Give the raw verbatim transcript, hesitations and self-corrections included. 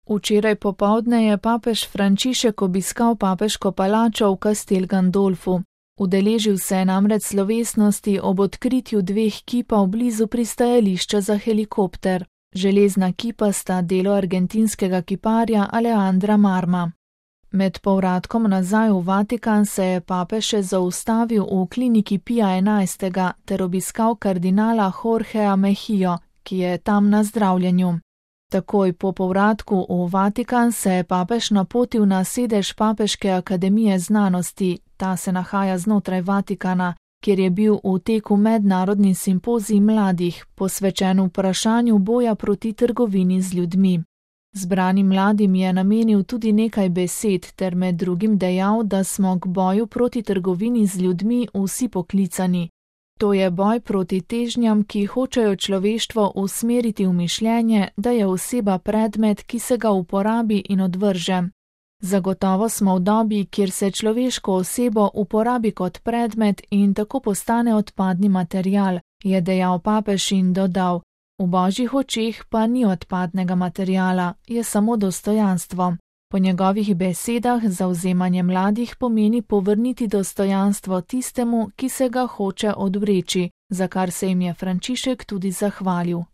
Včeraj popoldne je papež Frančišek obiskal papeško palačo v Castel Gandolfu. Udeležil se je namreč slovesnosti ob odkritju dveh kipov blizu pristajališča za helikopter. Železna kipa sta delo argentinskega kiparja Alejandra Marma. Med povratkom nazaj v Vatikan se je papež še zaustavil v kliniki Pija enajstega ter obiskal kardinala Jorgea Mejijo, ki je tam na zdravljenju. Takoj po povratku v Vatikan se je papež napotil na sedež Papeške akademije znanosti, ta se nahaja znotraj Vatikana, kjer je bil v teku mednarodni simpozij mladih, posvečen vprašanju boja proti trgovini z ljudmi. Zbranim mladim je namenil tudi nekaj besed ter med drugim dejal, da smo k boju proti trgovini z ljudmi vsi poklicani. To je boj proti težnjam, ki hočejo človeštvo usmeriti v mišljenje, da je oseba predmet, ki se ga uporabi in odvrže. Zagotovo smo v dobi, kjer se človeško osebo uporabi kot predmet in tako postane odpadni material, je dejal papež in dodal: v božjih očeh pa ni odpadnega materiala, je samo dostojanstvo. Po njegovih besedah zavzemanje mladih pomeni povrniti dostojanstvo tistemu, ki se ga hoče odvreči, za kar se jim je Frančišek tudi zahvalil.